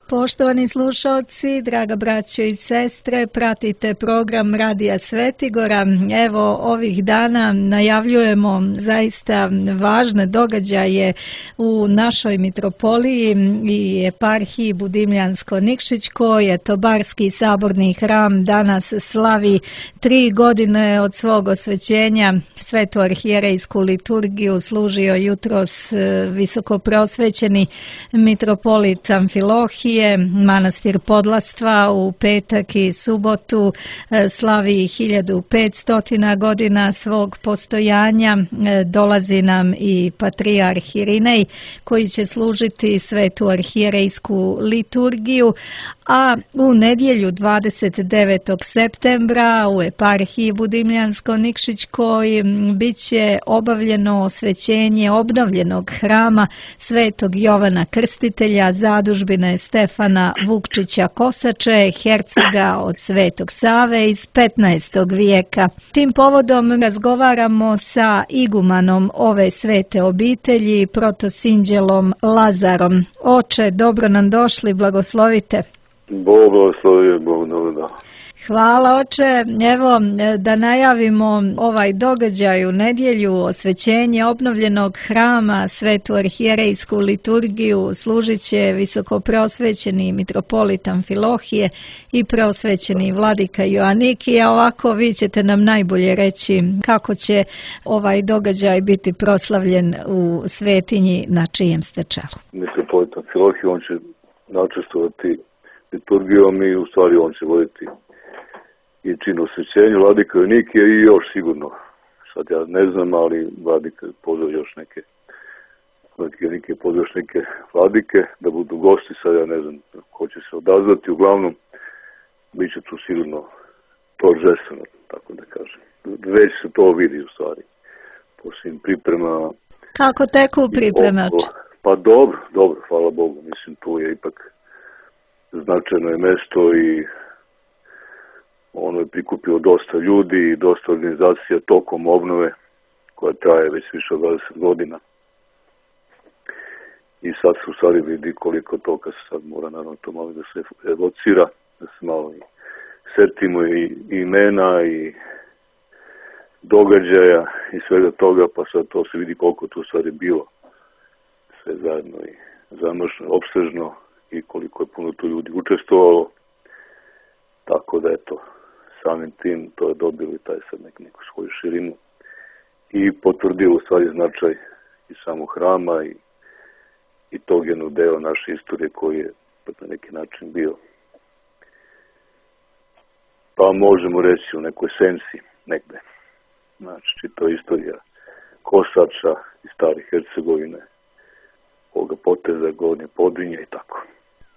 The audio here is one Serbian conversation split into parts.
Poštovani slušalci, draga braćo i sestre, pratite program Radija Svetigora. Evo, ovih dana najavljujemo zaista važne događaje u našoj mitropoliji i eparhiji Budimljansko-Nikšićkoj. Tobarski saborni hram danas slavi 3 godine od svog osvećenja. Svetu arhijerejsku liturgiju služio jutros visokoprosvećeni mitropolit Amfilohije. Manastir Podlastva u petak i subotu slavi 1500 godina svog postojanja. Dolazi nam i patrijarh Irinej koji će služiti svetu arhijerejsku liturgiju, a u nedjelju 29. septembra u eparhiji Budimljansko-Nikšićkoj bit će obavljeno osvećenje obnovljenog hrama Svetog Jovana Krstitelja, zadužbine Stefana Vukčića Kosače, hercega od Svetog Save iz 15. vijeka. Tim povodom razgovaramo sa igumanom ove svete obitelji, protosinđelom Lazarom. Oče, dobro nam došli, blagoslovite. Bog blagoslovio, Bog dobro. Hvala, oče. Evo, da najavimo ovaj događaj u nedjelju, osvećenje obnovljenog hrama, svetu arhijerejsku liturgiju, služit će visokopreosvećeni mitropolit Amfilohije i preosvećeni vladika Joanikije. Ovako vi ćete nam najbolje reći kako će ovaj događaj biti proslavljen u svetinji na čijem ste čelu. Mitropolit Amfilohije, on će načestovati liturgijom i u stvari on će voditi i čin osvećenju vladika Joanikije i još sigurno, sad ja ne znam, ali vladika pozove još neke vladike da budu gosti, sad ja ne znam ko će se odazvati, uglavnom bit će tu sigurno торжествено, tako da kažem. Već se to vidi u stvari po svim pripremama. Kako teku pripreme? Pa dobro, hvala Bogu, mislim tu je ipak značajno je mesto i ono je prikupilo dosta ljudi i dosta organizacija tokom obnove koja traje već više od 20 godina. I sad se u stvari vidi koliko toga se sad mora naravno to malo da se evocira, da se malo i setimo i imena i događaja i svega toga, pa sad to se vidi koliko tu stvari bilo sve zajedno i zamršno, opsežno i koliko je puno tu ljudi učestvovalo. Tako da eto, samim tim to je dobili taj sad neku svoju širinu i potvrdilo u stvari značaj i samog hrama i tog jednog dela naše istorije koji je na neki način bio, pa možemo reći u nekoj sensi negde. Znači, to je istorija Kosača i stare Hercegovine, ovoga poteza, Gornje Podrinje i tako.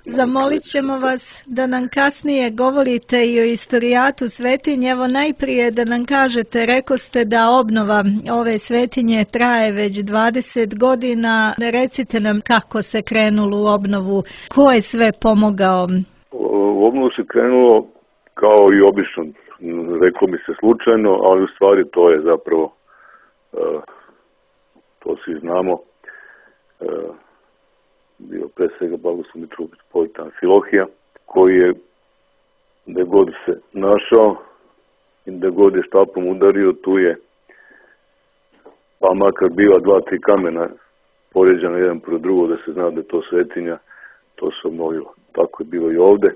Zamolit ćemo vas da nam kasnije govorite i o istorijatu svetinje. Evo najprije da nam kažete, rekoste da obnova ove svetinje traje već 20 godina. Recite nam kako se krenulo u obnovu, ko je sve pomogao? U obnovu se krenulo kao i obično, reklo mi se slučajno, ali u stvari to je zapravo, to svi znamo, bio pre svega blagoslovni mitropolit Amfilohija, koji je gde god se našao i gde god je štapom udario, tu je pa makar bila 2-3 kamena poređana jedan pro drugo da se zna da je to svetinja, to se obnovilo. Tako je bilo i ovde.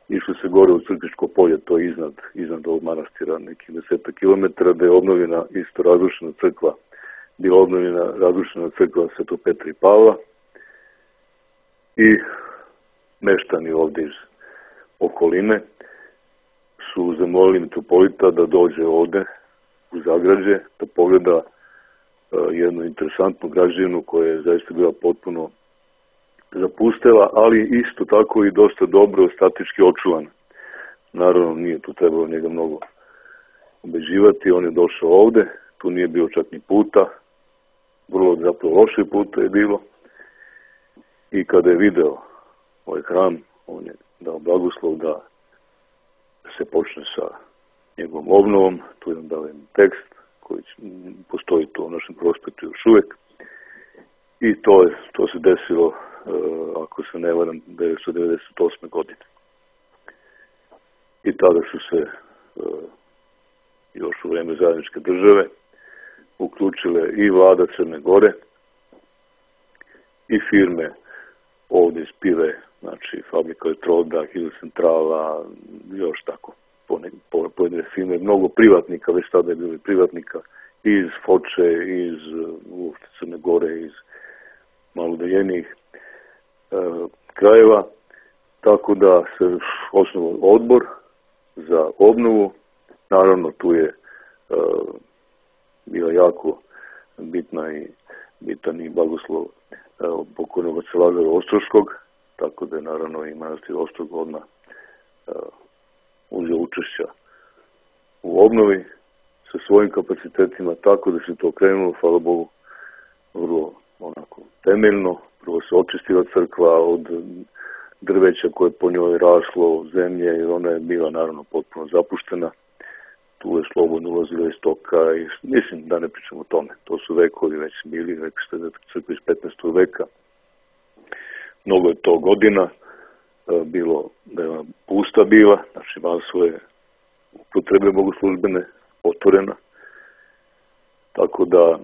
Išlo se gore u Crkvičko polje, to je iznad ovog manastira, nekih 10 kilometara, da je obnovljena isto razrušena crkva, bila obnovljena razrušena crkva Svetog Petra i Pavla, i meštani ovde iz okoline su zamolili mitropolita da dođe ovde u Zagrađe, da pogleda jednu interesantnu građevinu koja je zaista bila potpuno zapustela, ali isto tako i dosta dobro statički očuvana. Naravno, nije tu trebalo njega mnogo ubeđivati, on je došao ovde, tu nije bilo čak ni puta, vrlo zapravo loše puta je bilo. I kada je video ovaj hram, on je dao blagoslov da se počne sa njegovom obnovom. Tu je dao jedan tekst koji postoji tu u našem prospektu još uvek. I to se desilo ako se ne varam, 1998. godine. I tada su se još u vreme zajedničke države uključile i vlada Crne Gore i firme ovdje iz Pive, znači fabrika Elektroda, Hidrocentrala, još tako pojedine firme, mnogo privatnika, već tada je bilo privatnika iz Foče, iz Crne Gore, iz malo udaljenijih krajeva, tako da se osnovao odbor za obnovu. Naravno, tu je bila jako bitan i blagoslov pokojnog oca Lazara Ostroškog, tako da je naravno i manastir Ostrog odmah uzeo učešća u obnovi sa svojim kapacitetima, tako da se to krenulo, hvala Bogu, vrlo onako temeljno. Prvo se očistila crkva od drveća koje po njoj raslo, zemlje, jer ona je bila naravno potpuno zapuštena. Tu je slobodno ulazila iz toka i mislim da ne pričamo o tome. To su vekovi već bili, rekli ste da je crkva iz 15. veka. Mnogo je to godina bilo da je ona pusta bila, znači imala svoje upotrebe bogoslužbene, otvorena. Tako da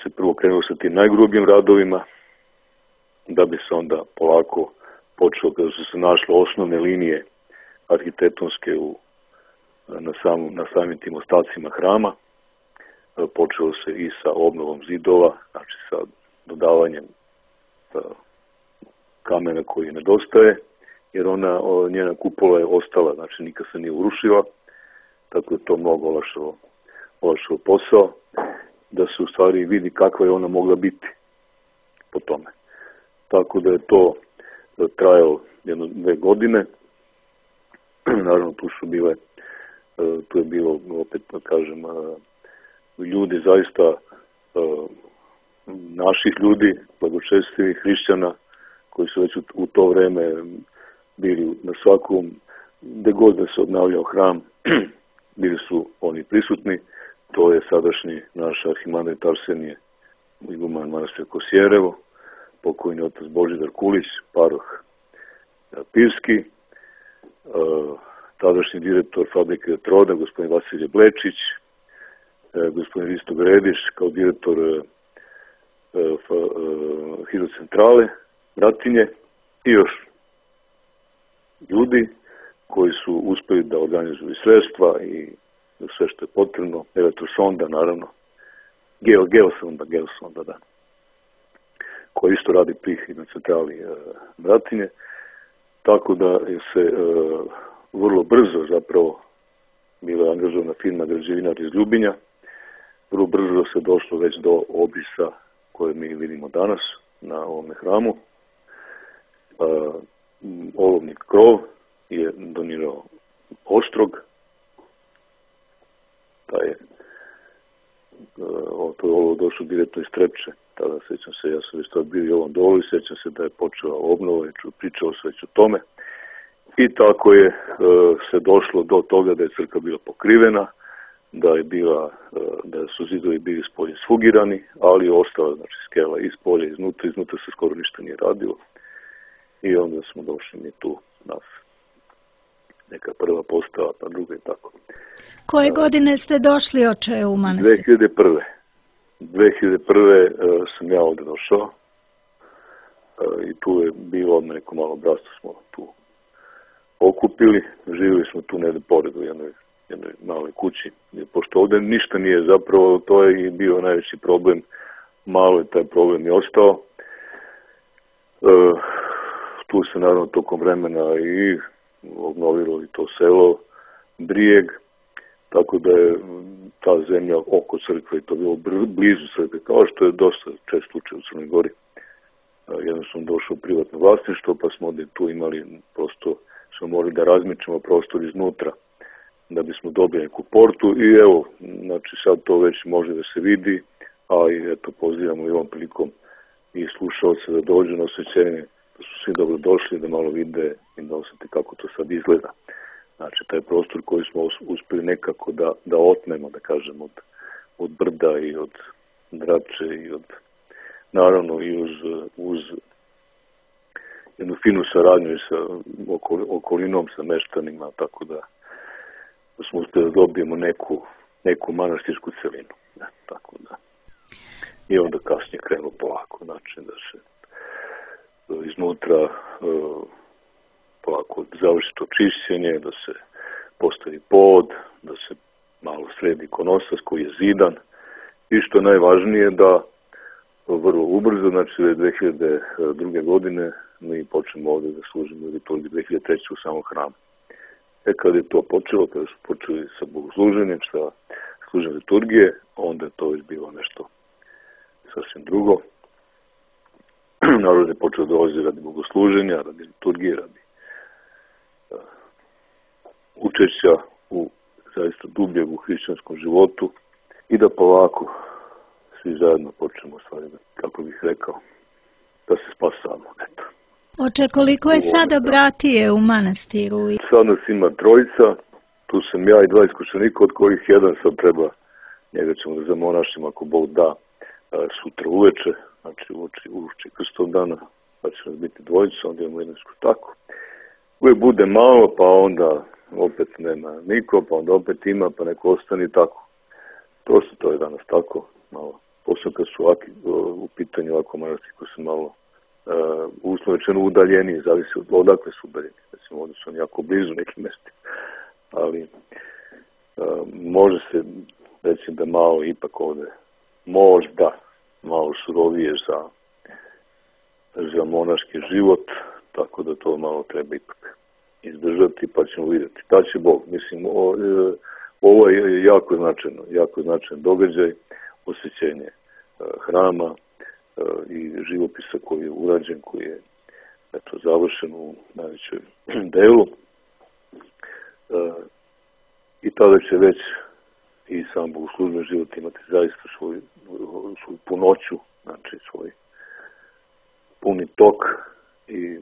se prvo krenulo sa tim najgrubljim radovima, da bi se onda polako počelo, kada su se našle osnovne linije arhitektonske na samim tim ostacima hrama, počelo se i sa obnovom zidova, znači sa dodavanjem kamena koji nedostaje, jer njena kupola je ostala, znači nikad se nije urušila, tako je to mnogo olakšalo posao, da se u stvari vidi kakva je ona mogla biti po tome. Tako da je to trajalo 1-2 godine. Naravno, tu je bilo, opet kažem, ljudi zaista, naših ljudi, blagočestivih hrišćana, koji su već u to vreme bili na svakom, gde god da se obnavljao hram, bili su oni prisutni. To je sadašnji naš arhimandrit Arsenije, iguman manastira Kosjerevo, pokojni otac Božidar Kulić, paroh Pivski, tadašnji direktor fabrike Elektroda, gospodin Vasilije Blečić, gospodin Risto Grediš kao direktor Hidrocentrale Bratinje i još ljudi koji su uspeli da organizuju sredstva i sve što je potrebno, elektrosonda naravno, geosonda, da, koji isto radi pri Hidrocentrali Bratinje, tako da je se vrlo brzo zapravo bila angažovana firma građevinar iz Ljubinja, vrlo brzo se došlo već do obrisa koje mi vidimo danas na ovome hramu. Olovni krov je donirao Ostrog, to je olovo došlo direktno iz Trepče. Tada sećam se, ja sam već tad bio i ovom dolu i sećam se da je počela obnova, pričao se već o tome. I tako je se došlo do toga da je crkva bila pokrivena, da su zidovi bili spolje sfugirani, ali je ostala, znači, skela iz polja, iznutra se skoro ništa nije radilo. I onda smo došli mi tu nas neka prva postava, pa druga i tako. Koje godine ste došli, oče, u manastir? 2001. sam ja ovdje došao i tu je bilo neko malo bratstvo smo tu okupili. Živjeli smo tu negdje pored u jednoj maloj kući. Pošto ovdje ništa nije zapravo, to je i bio najveći problem. Malo je taj problem i ostao. Tu se naravno tokom vremena i obnovilo i to selo Brijeg, tako da je ta zemlja oko crkve i to bilo blizu crkve, kao što je dosta čest slučaj u Crnoj Gori. Jednostavno došlo u privatno vlasništvo, pa smo ovdje tu imali, prosto smo morali da razmičemo prostor iznutra da bismo dobili neku portu i evo, znači sad to već može da se vidi, a i eto pozivamo i ovom prilikom i slušalce da dođu na osvećenje, da su svi dobro došli, da malo vide i da osjeti kako to sad izgleda. Znači, taj prostor koji smo uspeli nekako da otmemo, da kažem, od brda i od drače i naravno i uz jednu finu saradnju i sa okolinom, sa meštanima, tako da smo uspjeli da dobijemo neku manastirsku celinu. Tako da. I onda kasnije krenulo polako, znači da se iznutra polako završi to čišćenje, da se postavi pod, da se malo sredi ikonostas koji je zidan i što je najvažnije da vrlo ubrzo, znači 2002. godine mi počnemo ovdje da služimo liturgiju 2003. u samom hramu. Kad je to počelo, kada su počeli sa bogosluženjem, sa služenjem liturgije, onda je to već bilo nešto sasvim drugo. Narod je počeo dolazi radi bogosluženja, radi liturgije, radi učešća u zaista dubljeg u hrišćanskom životu i da polako svi zajedno počnemo stvari, kako bih rekao, da se spasamo. Eto. Oče, koliko je sada bratije u manastiru? Sad nas ima 3, tu sam ja i 2 iskušenika, od kojih jedan sad treba, njega ćemo da zamonašimo ako Bog da sutra uveče, znači uoči krstov dana, pa će nas biti 2, onda imamo jednu tako. Uvijek bude malo, pa onda opet nema niko, pa onda opet ima, pa neko ostane tako. To je danas tako, malo. Posebno kad su u pitanju ovako manastiri koji su malo uslovno rečeno udaljeni, zavisi od odakle su udaljeni. Recimo, ovdje su oni jako blizu nekim mestima. Ali može se reći da malo ipak ovdje možda malo surovije za monaški život, tako da to malo treba ipak izdržati, pa ćemo vidjeti. Da će Bog. Mislim, ovo je jako značajan događaj, osvećenje hrama i živopisa koji je urađen, koji je završen u najvećoj delu. I tada će već i sam bogoslužben život imati zaista svoju punoću, znači svoj puni tok i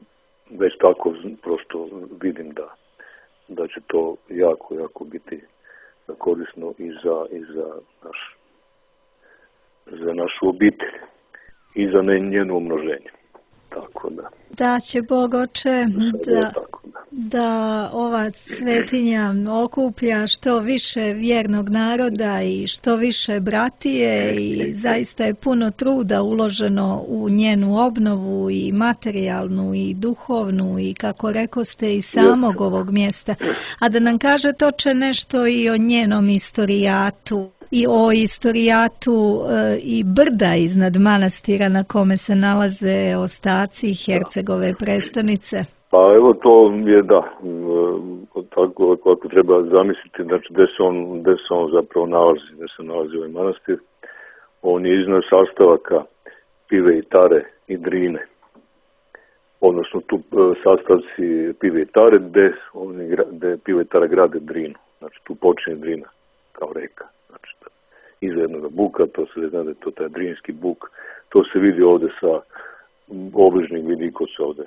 već tako prosto vidim da će to jako biti korisno i za našu obitelj i za njeno umnoženje. Tako da. Da će Bog, Oče, da ova svetinja okuplja što više vjernog naroda i što više bratije i zaista je puno truda uloženo u njenu obnovu i materijalnu i duhovnu i kako rekoste i samog ovog mjesta. A da nam kažete, Oče, nešto i o njenom istorijatu i o istorijatu i brda iznad manastira na kome se nalaze ostaci Hercegove prestonice. Pa evo to je tako kako treba zamisliti, znači gde se on zapravo nalazi ovaj manastir. On je iznad sastavaka Pive i Tare i Drine. Odnosno tu sastavci Pive i Tare gde Pive i Tare grade Drinu. Znači tu počinje Drina kao reka. Znači iza jednog buka, to se zna da je to taj Drinski buk. To se vidi ovde sa obližnjeg vidikosa ovde,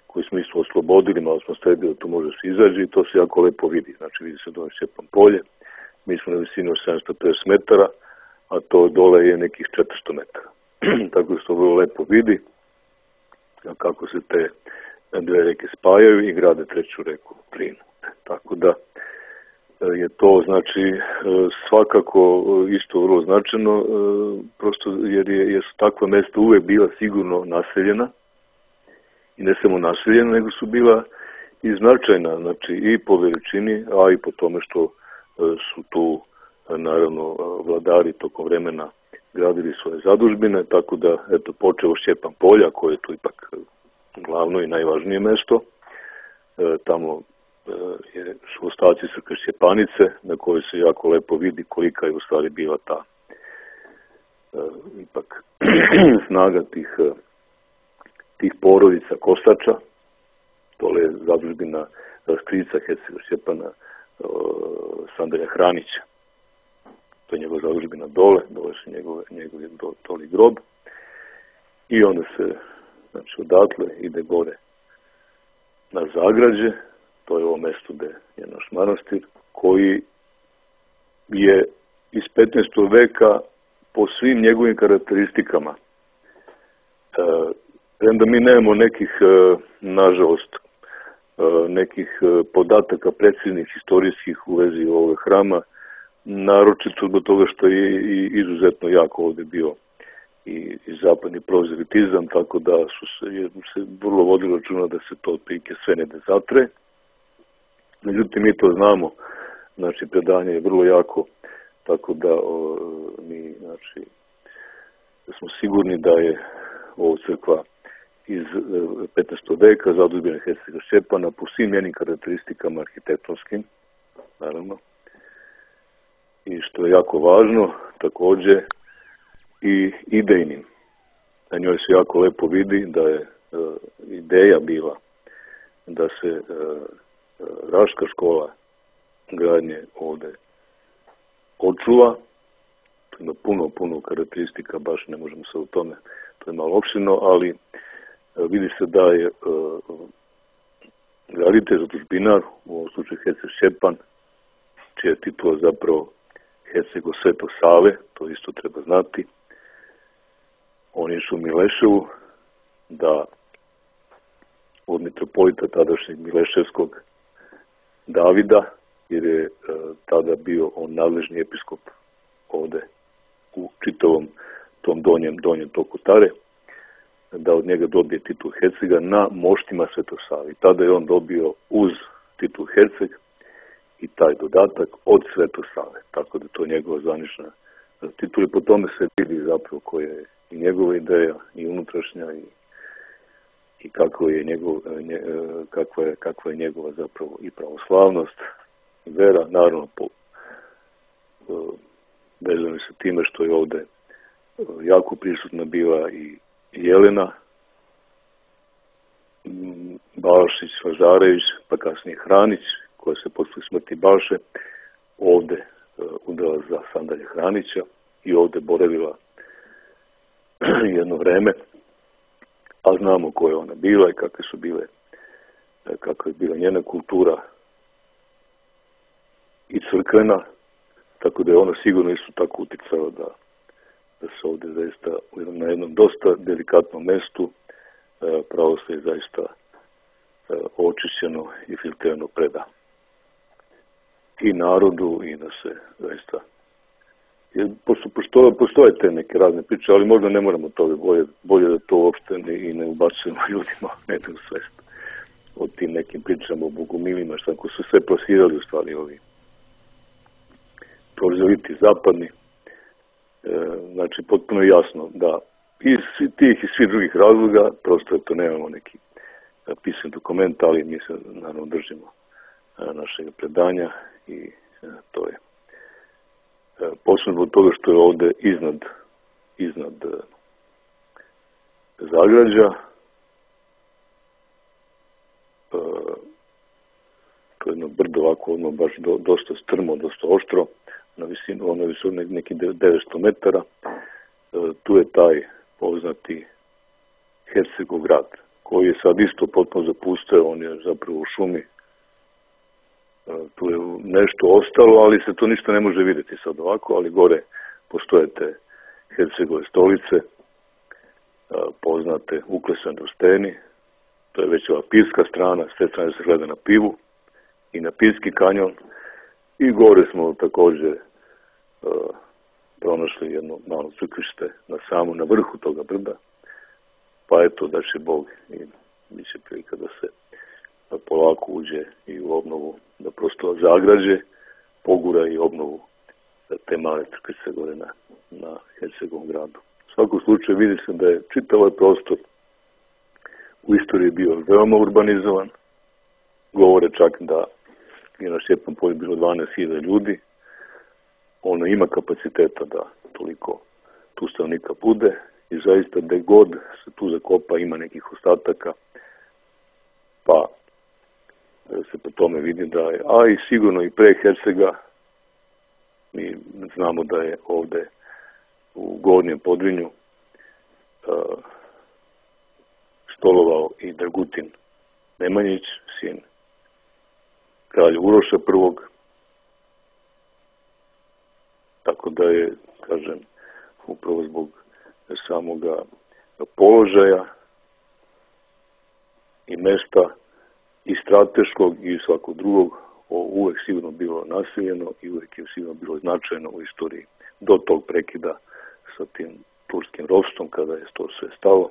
koji smo isto oslobodili, malo smo stavili da tu može se izađi i to se jako lepo vidi. Znači vidi se dole Šćepan polje, mi smo na visini od 750 metara, a to dole je nekih 400 metara. Tako da se to vrlo lepo vidi, kako se te 2 reke spajaju i grade 3. reku Drinu. Tako da je to, znači, svakako isto vrlo značajno, prosto jer su takva mesta uvek bila sigurno naseljena i ne samo naseljena, nego su bila i značajna, znači i po veličini, a i po tome što su tu, naravno, vladari tokom vremena gradili svoje zadužbine, tako da, eto, počeo Šćepan polja, koje je tu ipak glavno i najvažnije mesto, tamo su ostaci Crkve Šćepanice, na kojoj se jako lepo vidi kolika je u stvari bila ta ipak snaga tih porodica Kostača. Dole je zadužbina strica Hercega Šćepana Sandrija Hranića. To je njegova zadužbina dole su njegov doli grob. I onda se, znači, odatle ide gore na Zagrađe. To je ovo mesto gde je naš manastir, koji je iz 15. veka po svim njegovim karakteristikama Premda mi nemamo nekih, nažalost, nekih podataka preciznih historijskih u vezi ovog hrama, naročito zbog toga što je izuzetno jako ovdje bio i zapadni prozelitizam, tako da se vrlo vodilo računa da se to otprilike sve ne zatre. Međutim, mi to znamo, znači predanje je vrlo jako, tako da mi, znači, smo sigurni da je ovo crkva iz 15. veka zadužbina Hercega Šćepana po svim njenim karakteristikama arhitektonskim, naravno, i što je jako važno, također i idejnim. Na njoj se jako lepo vidi da je ideja bila da se Raška škola gradnje ovdje očuva. To ima puno karakteristika, baš ne možemo se u tome, to je malo opširno, ali vidi se da je graditelj, zadužbinar, u ovom slučaju Herceg Šćepan, čija je titula zapravo Herceg Sveto Save, to isto treba znati. On je išao u Mileševu da od mitropolita tadašnjeg Mileševskog Davida, jer je tada bio on nadležni episkop ovde u čitavom tom donjem toku Tare, da od njega dobije titul Hercega na moštima Svetosave. Tada je on dobio uz titul Herceg i taj dodatak od Svetosave, tako da to je njegova zvanična titula i po tome se vidi zapravo koja je i njegova ideja i unutrašnja i kakva je njegova zapravo i pravoslavnost i vera, naravno vezano sa time što je ovde jako prisutna bila i Jelena Balšić, Lazarević, pa kasnije Hranić, koja se posle smrti Balše ovde udala za sandalje Hranića i ovde boravila jedno vreme, a znamo ko je ona bila i kakva je bila njena kultura i crkvena, tako da je ona sigurno isto tako uticala da se ovdje zaista na jednom dosta delikatnom mestu pravoslavlje zaista očišćeno i filtrirano preda i narodu i da se zaista postoje te neke razne priče, ali možda ne moramo toga, bolje da to uopšte i ne ubacujemo ljudima u svest o tim nekim pričama o bogumilima, što su sve plasirali u stvari ovi prozeliti zapadni. Znači, potpuno je jasno da iz tih i svih drugih razloga, prosto to nemamo neki pisan dokument, ali mi se naravno držimo našeg predanja i to je posebno od toga što je ovde iznad zagrađa, to je jedno brdo ovako, ono baš dosta strmo, dosta oštro, na visinu, ono je visinu neki 900 metara, tu je taj poznati Hercegov grad, koji je sad isto potpuno zapustio, on je zapravo u šumi, tu je nešto ostalo, ali se to ništa ne može vidjeti sad ovako, ali gore postoje te Hercegove stolice, poznate uklesane u steni, to je već ova pirska strana, s te strane se gleda na pivu i na Pirski kanjon i gore smo također pronašli jedno malo crkvište na vrhu toga brda, pa eto da će Bog i bit će prilika da se polako uđe i u obnovu, da prosto zagrađe, pogura i obnovu te male crkvice gore na Hercegovom gradu. U svakom slučaju vidi se da je čitav ovaj prostor u istoriji bio veoma urbanizovan, govore čak da je na Šćepnom polju bilo 12.000 ljudi, ono ima kapaciteta da toliko tu stanovnika bude i zaista gde god se tu zakopa ima nekih ostataka, pa se po tome vidi da je, a i sigurno i pre Hercega, mi znamo da je ovde u Gornjem Podrinju stolovao i Dragutin Nemanjić, sin kralja Uroša I. Tako da je, kažem, upravo zbog samoga položaja i mesta, i strateškog i svakog drugog, uvek sigurno bilo naseljeno i uvek je sigurno bilo značajno u istoriji do tog prekida sa tim turskim ropstvom kada je to sve stalo.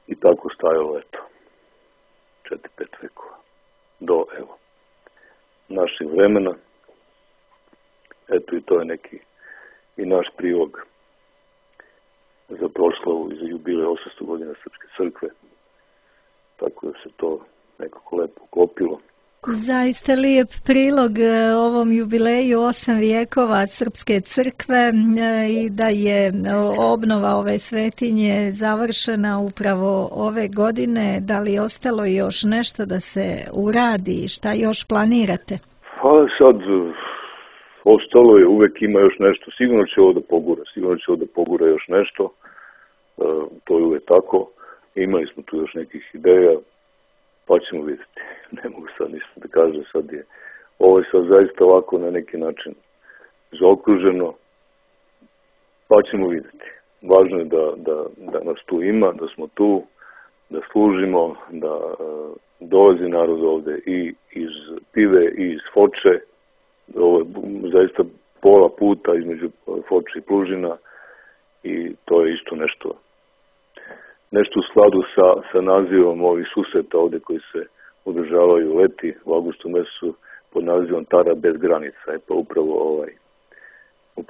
I tako stajalo, eto, 4-5 vekova do, evo, naših vremena. Eto, i to je neki i naš prilog za proslavu i za jubilej 800 godina Srpske crkve. Tako da se to nekako lepo uklopilo. Zaista lijep prilog ovom jubileju 8 vijekova Srpske crkve i da je obnova ove svetinje završena upravo ove godine. Da li je ostalo još nešto da se uradi? Šta još planirate? Pa sad, ostalo je, uvek ima još nešto. Sigurno će ovo da pogura još nešto. To je uvek tako. Imali smo tu još nekih ideja, pa ćemo vidjeti. Ne mogu sad ništa da kažem, ovo je sad zaista ovako na neki način zaokruženo, pa ćemo vidjeti. Važno je da nas tu ima, da smo tu, da služimo, da dolazi narod ovde i iz Pive i iz Foče. Ovo je zaista pola puta između Foče i Plužina i to je isto nešto u skladu sa nazivom ovih susreta ovde koji se održavaju leti u avgustu mesecu pod nazivom Tara bez granica. Pa upravo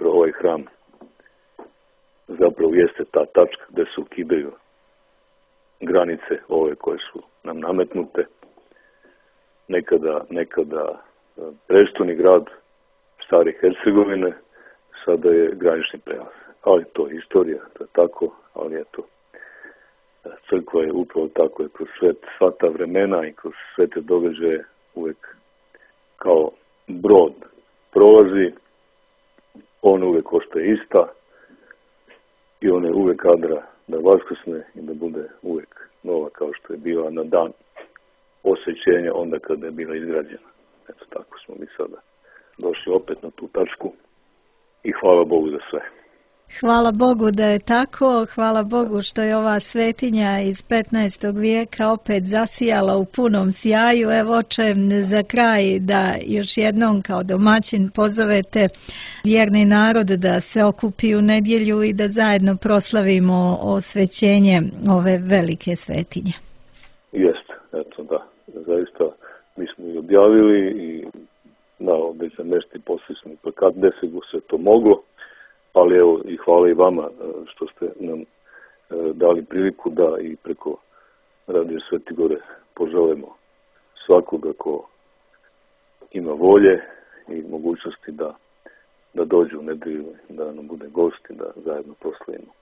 ovaj hram zapravo jeste ta tačka gde se ukidaju granice ove koje su nam nametnute. Nekada prestoni grad Stare Hercegovine, sada je granični prelaz. Ali to je istorija, to je tako, ali eto, crkva je upravo tako je kroz sva ta vremena i kroz sve te događaje uvek kao brod prolazi, on uvek ostaje ista i ona je uvek kadra da vaskrsne i da bude uvek nova kao što je bila na dan osvećenja onda kada je bila izgrađena. Eto tako smo mi sada došli opet na tu tačku i hvala Bogu za sve. Hvala Bogu da je tako, hvala Bogu što je ova svetinja iz 15. vijeka opet zasijala u punom sjaju. Evo, oče, za kraj da još jednom kao domaćin pozovete vjerni narod da se okupi u nedjelju i da zajedno proslavimo osvećenje ove velike svetinje. Jeste, eto da, zaista mi smo i objavili i na određen mesti poslali smo i plakat gde se to moglo. Ali evo i hvala i vama što ste nam dali priliku da i preko Radio Sveti Gore poželimo svakoga ko ima volje i mogućnosti da dođe u nedelju, da nam bude gost i da zajedno proslavimo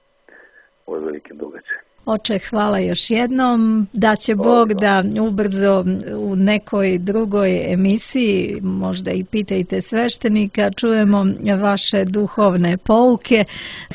ove velike događaje. Oče, hvala još jednom. Da će Bog da ubrzo u nekoj drugoj emisiji, možda i pitajte sveštenika, čujemo vaše duhovne pouke.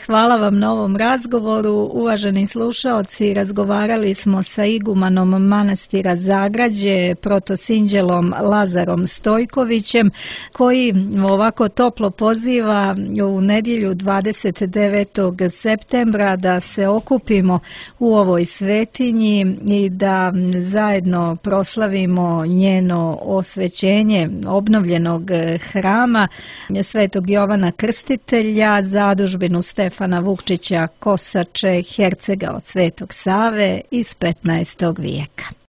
Hvala vam na ovom razgovoru. Uvaženi slušaoci, razgovarali smo sa igumanom manastira Zagrađe, protosinđelom Lazarom Stojkovićem, koji ovako toplo poziva u nedjelju 29. septembra da se okupimo u ovoj svetinji i da zajedno proslavimo njeno osvećenje obnovljenog hrama Svetog Jovana Krstitelja, zadužbinu Stefana Vukčića Kosače, hercega od Svetog Save iz 15. vijeka.